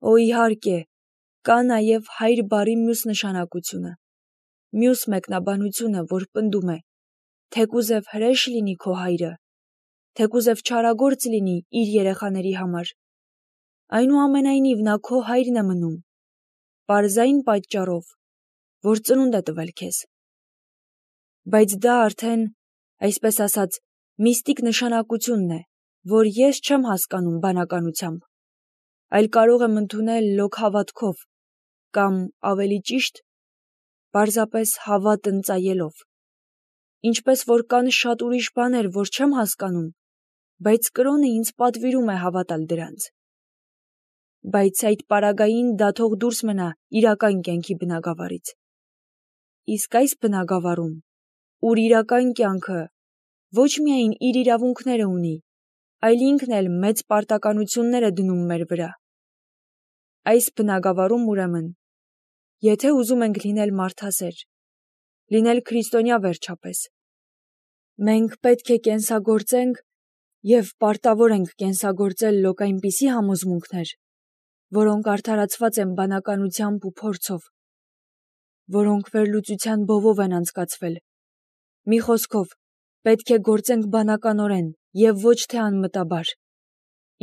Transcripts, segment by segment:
Օ իհարկե, կա նաև հայր բառի մյուս նշանակությունը, մյուս մեկնաբանությունը, որ պնդում է, թեկուզև հրեշ լինի քո հայրը, թեկուզև չարագործ լինի իր երեխաների համար, այնուամենայնիվ նա քո հայրն է մնում, պարզային պատճառով, որ ծնունդ է տվել քեզ։ Բայց դա արդեն, այսպես ասած, միստիկ նշանակությունն է, որ ես չեմ հասկանում բանականությամբ, այլ կարող եմ ընդունել լոկ հավատքով, կամ ավելի ճիշտ, պարզապես հավատ ընծայելով, ինչպես որ կան շատ ուրիշ բաներ, որ չեմ հասկանում, բայց կրոնը ինձ պատվիրում է հավատալ դրանց։ Բայց այդ պարագային դա թող դուրս մնա իրական կյանքի բնագավառից։ Իսկ այս բնագավառում, ուր իրական կյանքը ոչ միայն իր իրավունքները ունի, այլ ինքն էլ մեծ պարտականություններ է դնում մեր վրա։ Այս բնագավառում ուրեմն, եթե ուզում ենք լինել մարդասեր, լինել քրիստոնյա վերջապես, մենք պետք է կենսագործենք և պարտավոր ենք կենսագործել լոկ այնպիսի համոզմունքներ, որոնք արդարացված են բանականությամբ ու փորձով, որոնք վերլուծության բովով են անցկացվել։ Մի խոսքով, պետք է գործենք բանականորեն և ոչ թե անմտաբար,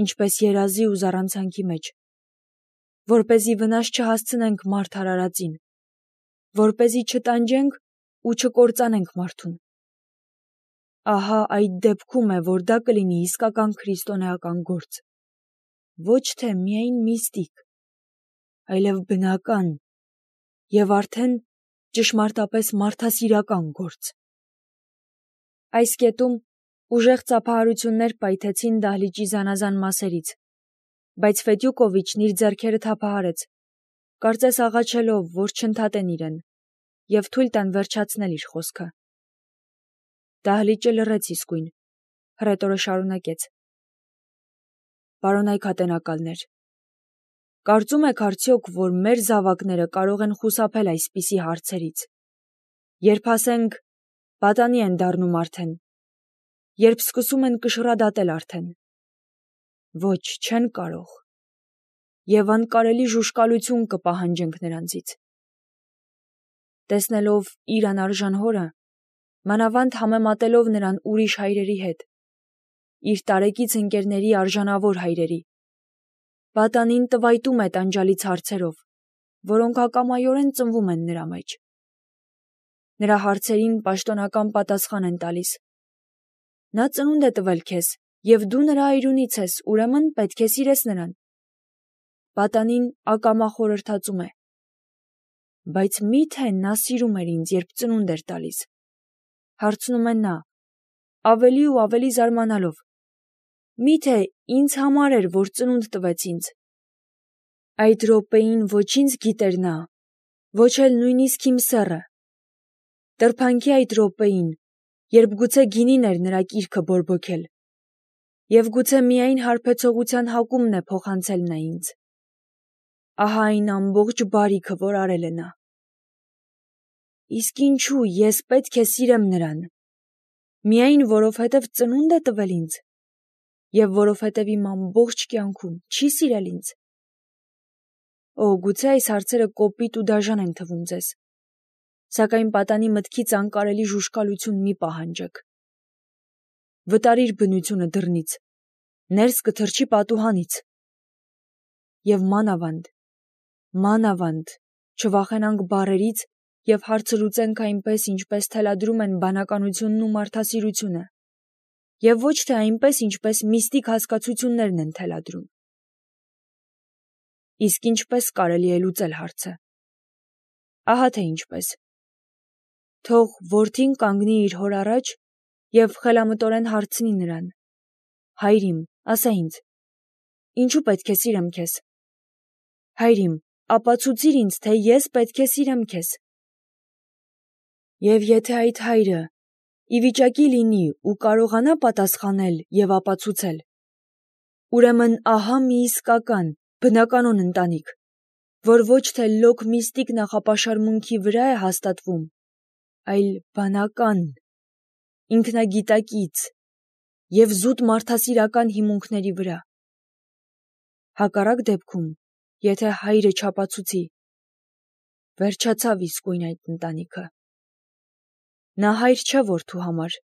ինչպես երազի ու զառանցանքի մեջ, որպեսզի վնաս չհասցնենք մարդ արարածին, որպեսզի չտանջենք ու չկործանենք մարդուն։ Ահա այդ դեպքում է, որ դա կլինի իսկական քրիստոնեական գործ, ոչ թե միայն միստիկ, այլև բնական և արդեն ճշմարտապես մարդասիրական գործ։ Այս կետում ուժեղ ծափահարություններ պայթեցին դահլիճի զանազան մասերից, բայց Ֆետյուկովիչն իր ձեռքերը թափահարեց, կարծես աղաչելով, որ չընդհատեն իրեն և թույլ տան վերջացնել իր խոսքը։ Դահլիճը լռեց իսկույն, հռետորը շարունակեց. Պարոնայք ատենակալներ, կարծում եք արդյոք, որ մեր զավակները կարող են խուսափել այսպիսի հարցերից, երբ ասենք, պատանի են դառնում արդեն, երբ սկսում են կշռադատել արդեն։ Ոչ, չեն կարող, և անկարելի ժուժկալություն կպահանջենք նրանցից։ Տեսնելով իր անարժան հորը, մանավանդ համեմատելով նրան ուրիշ հայրերի հետ, իր տարեկից ընկերների արժանավոր հայրերի, պատանին տվայտում է տանջալից հարցերով, որոնք ակամայորեն ծնվում են նրա մեջ։ Նրա հարցերին պաշտոնական պատասխան են տալիս. նա ծնունդ է տվել քեզ, և դու նրա այրունից ես, ուրեմն պետք է սիրես նրան։ Պատանին ակամա խորհրդածում է. բայց մի՞թե նա սիրում էր ինձ, երբ ծնունդ էր տալիս, հարցնում է նա, ավելի ու ավելի զարմանալով, մի՞թե ինձ համար էր, որ ծնունդ տվեց ինձ։ Այդ րոպեին ոչ ինձ գիտեր նա, ոչ էլ նույնիսկ իմ սեռը։ Տրփանքի այդ րոպեին, երբ գուցե գինին էր նրա կիրքը բորբոքել, և գուցե միայն հարբեցողության հակումն է փոխանցել նա ինձ։ Ահա այն ամբողջ բարիքը, որ արել է նա։ Իսկ ինչու ես պետք է սիրեմ նրան, միայն որովհետև ծնունդ է տվել ինձ, և որովհետև իմ ամբողջ կյանքում չի սիրել ինձ։ Օ, գուցե այս հարցերը կոպիտ ու դաժան են թվում ձեզ, սակայն պատանի մտքից անկարելի ժուժկալություն մի պահանջեք։ Վտարիր բնությունը դռնից, ներս կթռչի պատուհանից։ Եվ մանավանդ, չվախենանք բառերից և հարցը լուծենք այնպես, ինչպես թելադրում են բանականությունն ու մարդասիրությունը, և ոչ թե այնպես, ինչպես միստիկ հասկացություններն են թելադրում։ Իսկ ինչպես կարելի է լուծել հարցը։ Ահա թե ինչպես։ Թող որդին կանգնի իր հոր առաջ և խելամտորեն հարցնի նրան. հայր իմ, ասա ինձ, ինչու պետք է սիրեմ քեզ։ Հայր իմ, ապացուցիր ինձ, թե ես պետք է սիրեմ քեզ։ Եվ եթե այդ հայրը ի վիճակի լինի ու կարողանա պատասխանել և ապացուցել, ուրեմն ահա մի իսկական, բնականոն ընտանիք, որ ոչ թե լոկ միստիկ նախապաշարմունքի վրա է հաստատվում, այլ բանական, ինքնագիտակից և զուտ մարդասիրական հիմունքների վրա։ Հակառակ դեպքում եթե հայրը չապացուցի։ Վերջացավ իսկույն այդ ընտանիքը։ Նա հայր չէ որդու համար,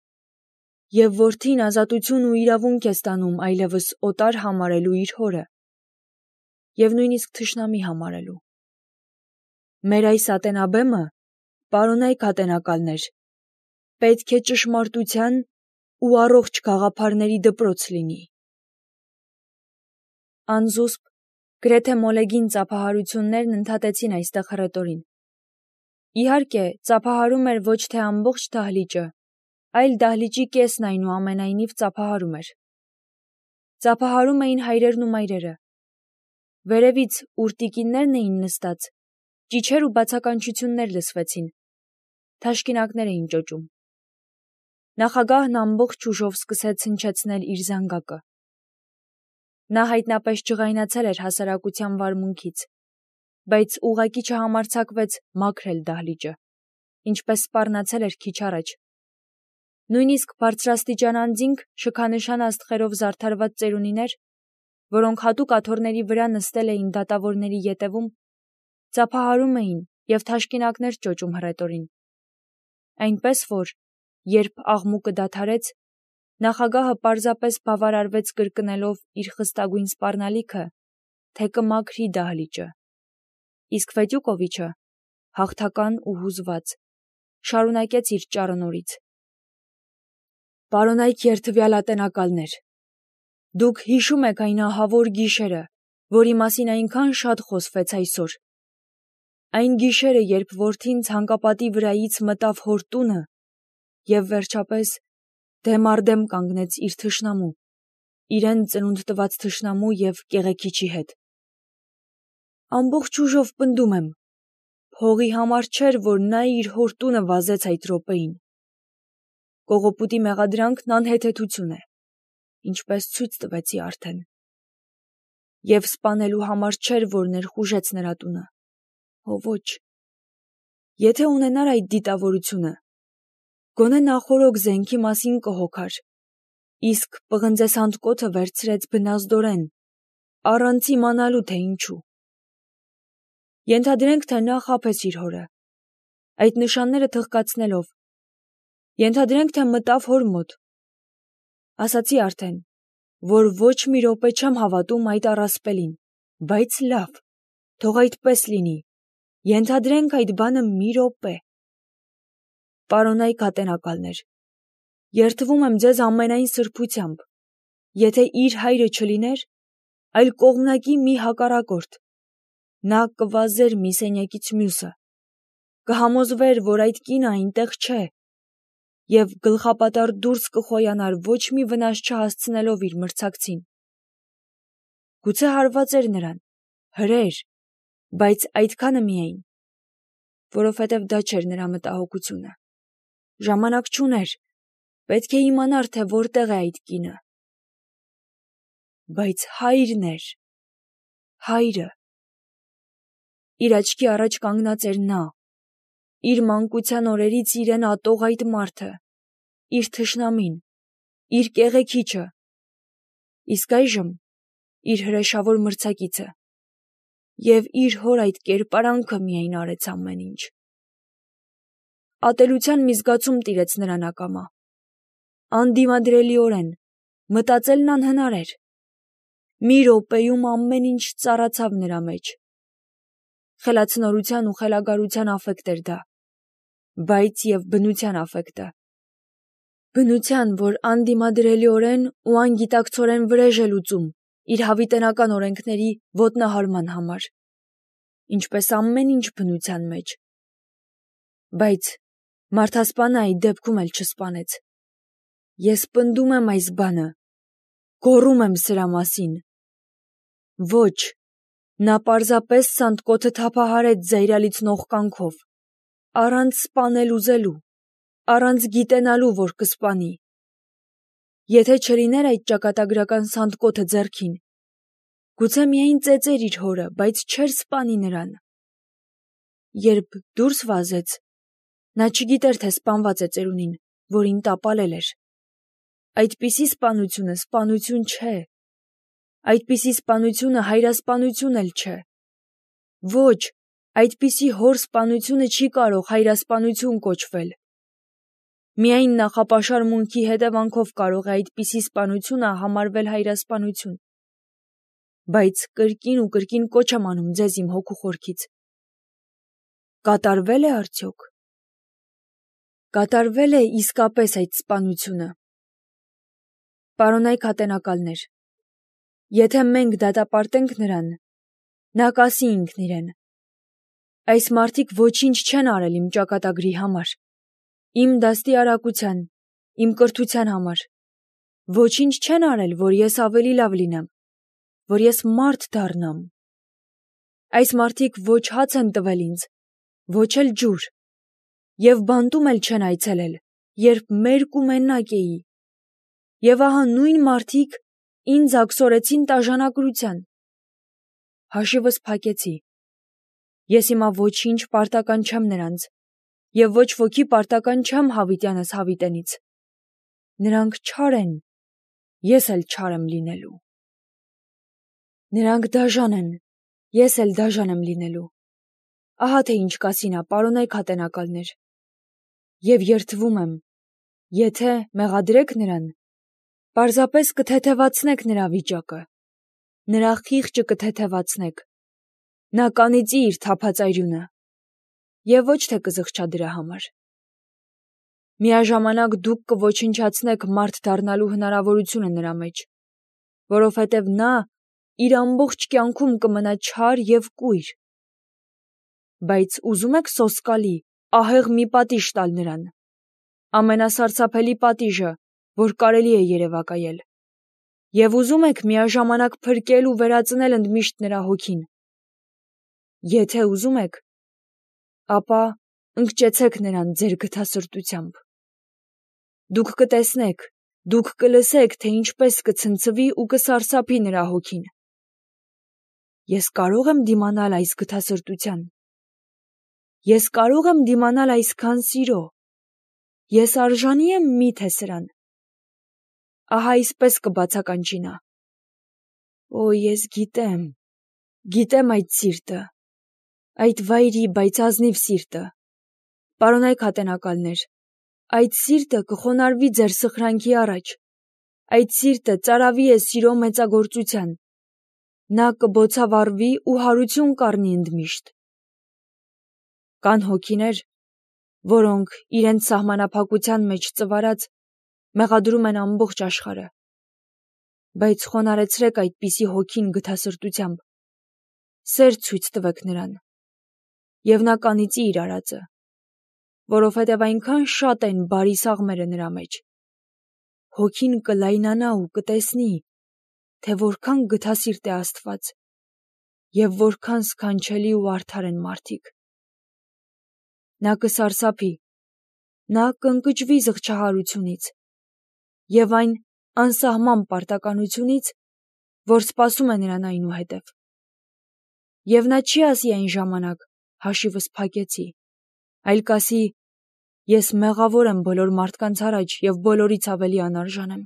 եւ որդին ազատություն ու իրավունք է ստանում այլևս օտար համարելու իր հորը, եւ նույնիսկ թշնամի համարելու։ Մեր այս ատենաբեմը, պարոնայք ատենակալներ, պետք է ճշմարտության ու առողջ գաղափարների դպրոց լինի։ Անզուսպ, գրեթե մոլեգին ծափահարություններն ընդհատեցին այստեղ հռետորին։ Իհարկե, ծափահարում էր ոչ թե ամբողջ դահլիճը, այլ դահլիճի կեսն այնուամենայնիվ ծափահարում էր։ Ծափահարում էին հայրերն ու մայրերը։ Վերևից, ուր տիկիններն էին նստած, ճիչեր ու բացականչություններ լսվեցին։ Թաշկինակներ էին ճոճում։ Նախագահն ամբողջ ուժով սկսեց հնչեցնել իր զանգակը։ Նա հայտնապես ջղայնացել էր հասարակության վարմունքից, բայց ուղղակի չհամարձակվեց մաքրել դահլիճը, ինչպես սպառնացել էր քիչ առաջ։ Նույնիսկ բարձրաստիճան անձինք, շքանշան աստղերով զարդարված ծերունիներ, որոնք հատուկ աթոռների վրա նստել էին դատավորների ետևում, ծափահարում էին և թաշկինակներ ճոճում հռետորին։ Այնպես որ, երբ աղմուկը դադարեց, նախագահը պարզապես բավարարվեց կրկնելով իր խստագույն սպառնալիքը, թե կմաքրի դահլիճը, իսկ Ֆետյուկովիչը, հաղթական ու հուզված, շարունակեց իր ճառը նորից։ Պարոնայք երդվյալ ատենակալներ, դուք հիշում եք այն ահավոր գիշերը, որի մասին այնքան շատ խոսվեց այսօր։ Այն գիշերը, երբ որդին ցանկապատի վրայից մտավ հոր տունը և վերջապես դեմ առ դեմ կանգնեց իր թշնամու, իրեն ծնունդ տված թշնամու և կեղեքիչի հետ։ Ամբողջ ուժով պնդում եմ, փողի համար չէր, որ նա իր հոր տունը վազեց այդ րոպեին։ Կողոպուտի մեղադրանքն անհեթեթություն է, ինչպես ցույց տվեցի արդեն։ Եվ սպանելու համար չէր, որ ներխուժեց նրա տունը։ Հո ոչ։ Եթե ունենար այդ դիտավորությունը, գոնե նախօրոք զենքի մասին կհոգար, իսկ պղնձեսանդկոթը վերցրեց բնազդորեն, առանց իմանալու, թե ինչու։ Ենթադրենք, թե նա խաբեց իր հորը, այդ նշանները թղկացնելով։ Ենթադրենք, թե մտավ հոր մոտ։ Ասացի արդեն, որ ոչ մի րոպե չեմ հավատում այդ առասպելին, բայց լավ, թող այդպես լինի, ենթադրենք այդ բանը մի րոպե։ Պարոնայք ատենակալներ, երդվում եմ ձեզ ամենայն սրբությամբ, եթե իր հայրը չլիներ, այլ կողմնակի մի հակառակորդ, նա կվազեր մի սենյակից մյուսը, կհամոզվեր, որ այդ կինը այնտեղ չէ, և գլխապատառ դուրս կխոյանար ոչ մի վնաս չհասցնելով իր մրցակցին։ Գուցե հարված էր նրան, հրեր, բայց այդքանը միայն, որովհետև դա չէր նրա մտահոգությունը։ Ժամանակ չուներ, պետք է իմանար, թե որտեղ է այդ կինը։ Բայց հայրն էր, հայրը։ Իր աչքի առաջ կանգնած էր նա, իր մանկության օրերից իրեն ատող այդ մարդը, իր թշնամին, իր կեղեքիչը, իսկ այժմ իր հրեշավոր մրցակիցը, և իր հոր այդ կերպարանքը միայն արեց ամեն ինչ։ Ատելության մի զգացում տիրեց նրան ակամա։ Անդիմադրելիորեն, մտածելն անհնար էր։ Մի րոպեում ամեն ինչ ծառացավ նրա մեջ։ Խելացնորության ու խելագարության աֆեկտ էր դա, բայց և բնության աֆեկտը։ Բնության, որ անդիմադրելիորեն ու անգիտակցորեն վրեժ է լուծում իր հավիտենական օրենքների ոտնահարման համար, ինչպես ամեն ինչ բնության մեջ։ Բայց մարդասպանը այդ դեպքում էլ չսպանեց։ Ես պնդում եմ այս բանը, գոռում եմ սրա մասին։ Ոչ, նա պարզապես սանդկոթը թափահարեց զայրալիցնող կանքով, առանց սպանել ուզելու, առանց գիտենալու, որ կսպանի։ Եթե չլիներ այդ ճակատագրական սանդկոթը ձեռքին, գուցե միայն ծեծեր իր հորը, բայց չէր սպանի նրան։ Երբ դուրս վազեց, նա չգիտեր, թե սպանված է ծերունին, որին տապալել էր։ Այդպիսի սպանությունը սպանություն չէ։ Այդպիսի սպանությունը հայրասպանություն էլ չէ։ Ոչ, այդպիսի հոր սպանությունը չի կարող հայրասպանություն կոչվել։ Միայն նախապաշար մունքի հետևանքով կարող է այդպիսի սպանությունը համարվել հայրասպանություն։ Բայց կրկին ու կրկին կոչ եմ անում ձեզ իմ հոգու խորքից։ Կատարվել է արդյոք։ Կատարվել է իսկապես այդ սպանությունը։ Պարոնայք ատենակալներ, եթե մենք դատապարտենք նրան, նա կասի ինքն իրեն. այս մարդիկ ոչինչ չեն արել իմ ճակատագրի համար, իմ դաստիարակության, իմ կրթության համար, ոչինչ չեն արել, որ ես ավելի լավ լինեմ, որ ես մարդ դառնամ։ Այս մարդիկ ոչ հաց են տվել ինձ, ոչ էլ ջուր, և բանտում էլ չեն այցելել, երբ մերկ ու մենակ էի։ Եվ ահա նույն մարդիկ ինձ աքսորեցին տաժանակրության։ Հաշիվս փակեցի։ Ես հիմա ոչինչ պարտական չեմ նրանց, և ոչ ոքի պարտական չեմ հավիտյանս հավիտենից։ Նրանք չար են, ես էլ չար եմ լինելու։ Նրանք դաժան են, ես էլ դաժան եմ լինելու։ Ահա թե ինչ կասի նա, պարոնայք ատենակալներ։ Եվ երդվում եմ, եթե մեղադրեք նրան, պարզապես կթեթևացնեք նրա վիճակը, նրա խիղճը կթեթևացնեք, նա կանիծի իր թափած արյունը, և ոչ թե կզղջա դրա համար։ Միաժամանակ դուք կոչնչացնեք մարդ դառնալու հնարավորությունը նրա մեջ, որովհետև նա իր ամբողջ կյանքում կմնա չար և կույր։ Բայց ուզում եք սոսկալի, ահեղ մի պատիժ տալ նրան, ամենասարսափելի պատիժը, որ կարելի է երևակայել, և ուզում եք միաժամանակ փրկել ու վերածնել ընդմիշտ նրա հոգին։ Եթե ուզում եք, ապա ընկճեցեք նրան ձեր գթասրտությամբ։ Դուք կտեսնեք, դուք կլսեք, թե ինչպես կցնցվի ու կսարսափի նրա հոգին։ Ես կարո՞ղ եմ դիմանալ այս գթասրտության։ Ես կարո՞ղ եմ դիմանալ այսքան սիրո։ Ես արժանի եմ միթե սրան։ Ահա այսպես կբացականչի նա. Օ, ես գիտեմ այդ սիրտը, այդ վայրի, բայց ազնիվ սիրտը։ Պարոնայք ատենակալներ, այդ սիրտը կխոնարհվի ձեր սխրանքի առաջ, այդ սիրտը ծարավի է սիրո մեծագործության, նա կբոցավառվի ու հարություն կառնի ընդմիշտ։ Կան հոգիներ, որոնք իրենց սահմանափակության մեջ ծվարած մեղադրում են ամբողջ աշխարհը, բայց խոնարհեցրեք այդպիսի հոգին գթասրտությամբ, սեր ցույց տվեք նրան, և նա կանիծի իր արածը, որովհետև այնքան շատ են բարի սաղմերը նրա մեջ։ Հոգին կլայնանա ու կտեսնի, թե որքան գթասիրտ է Աստված և որքան սքանչելի ու արդար են մարդիկ։ Նա կսարսափի, նա կընկճվի զղջահարությունից և այն անսահման պարտականությունից, որ սպասում է նրան այնուհետև։ Եվ նա չի ասի այն ժամանակ. հաշիվս փակեցի, այլ կասի. ես մեղավոր եմ բոլոր մարդկանց առաջ և բոլորից ավելի անարժան եմ։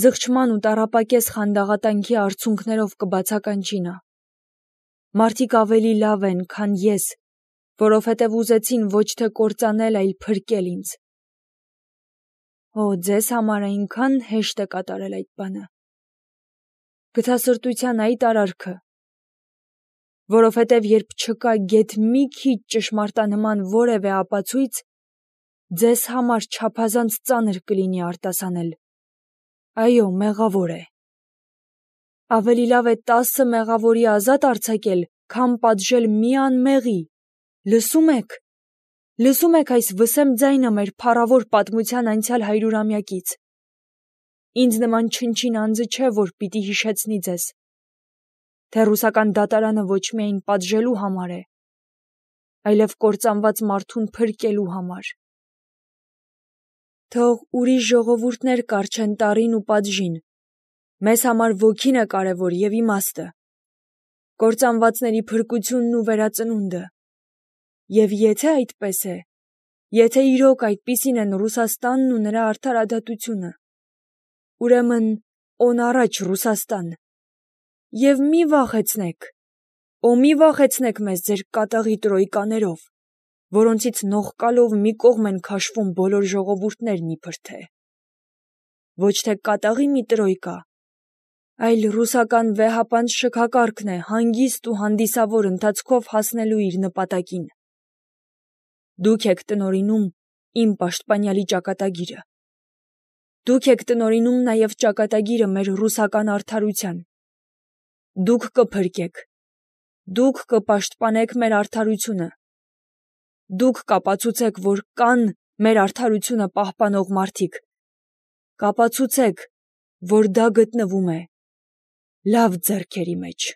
Զղջման ու տառապակես խանդաղատանքի արցունքներով կբացականչի նա. մարդիկ ավելի լավ են, քան ես, որովհետև ուզեցին ոչ թե կործանել, այլ փրկել ինձ։ Օ, ձեզ համար այնքան հեշտ է կատարել այդ բանը։ Գթասրտության այդ արարքը, որովհետև երբ չկա գեթ մի քիչ ճշմարտանման որևէ ապացույց, ձեզ համար չափազանց ծանր կլինի արտասանել. այո, մեղավոր է։ Ավելի լավ է 10 մեղավորի ազատ արձակել, քան պատժել մի անմեղի։ Լսում եք այս վսեմ ձայնը մեր փառավոր պատմության անցյալ 100-ամյակից։ Ինձ նման չնչին անձը չէ, որ պիտի հիշեցնի ձեզ, թե ռուսական դատարանը ոչ միայն պատժելու համար է, այլև կործանված մարդուն փրկելու համար։ Թող ուրիշ ժողովուրդներ կառչեն տառին ու պատժին, մեզ համար ոգին է կարևոր և իմաստը, կործանվածների փրկությունն ու վերածնունդը։ Եվ եթե այդպես է, եթե իրոք այդպիսին են Ռուսաստանն ու նրա արդարադատությունը, ուրեմն օն առաջ Ռուսաստան, և մի վախեցնեք, Օ մի վախեցնեք մեզ ձեր կատաղի տրոյկաներով, որոնցից նողկալով մի կողմ են քաշվում բոլոր ժողովուրդներն իբր թե։ Ոչ թե կատաղի մի տրոյկա, այլ ռուսական վեհապանց շքակարգն է հանգիստ ու հանդիսավոր ընթացքով հասնելու իր նպատակին։ Դուք եք տնօրինում իմ պաշտպանյալի ճակատագիրը։ Դուք եք տնօրինում նաև ճակատագիրը մեր ռուսական արդարության։ Դուք կփրկեք, դուք կպաշտպանեք մեր արդարությունը։ Դուք կապացուցեք, որ կան մեր արդարությունը պահպանող մարդիկ։ Կապացուցեք, որ դա գտնվում է լավ ձեռքերի մեջ։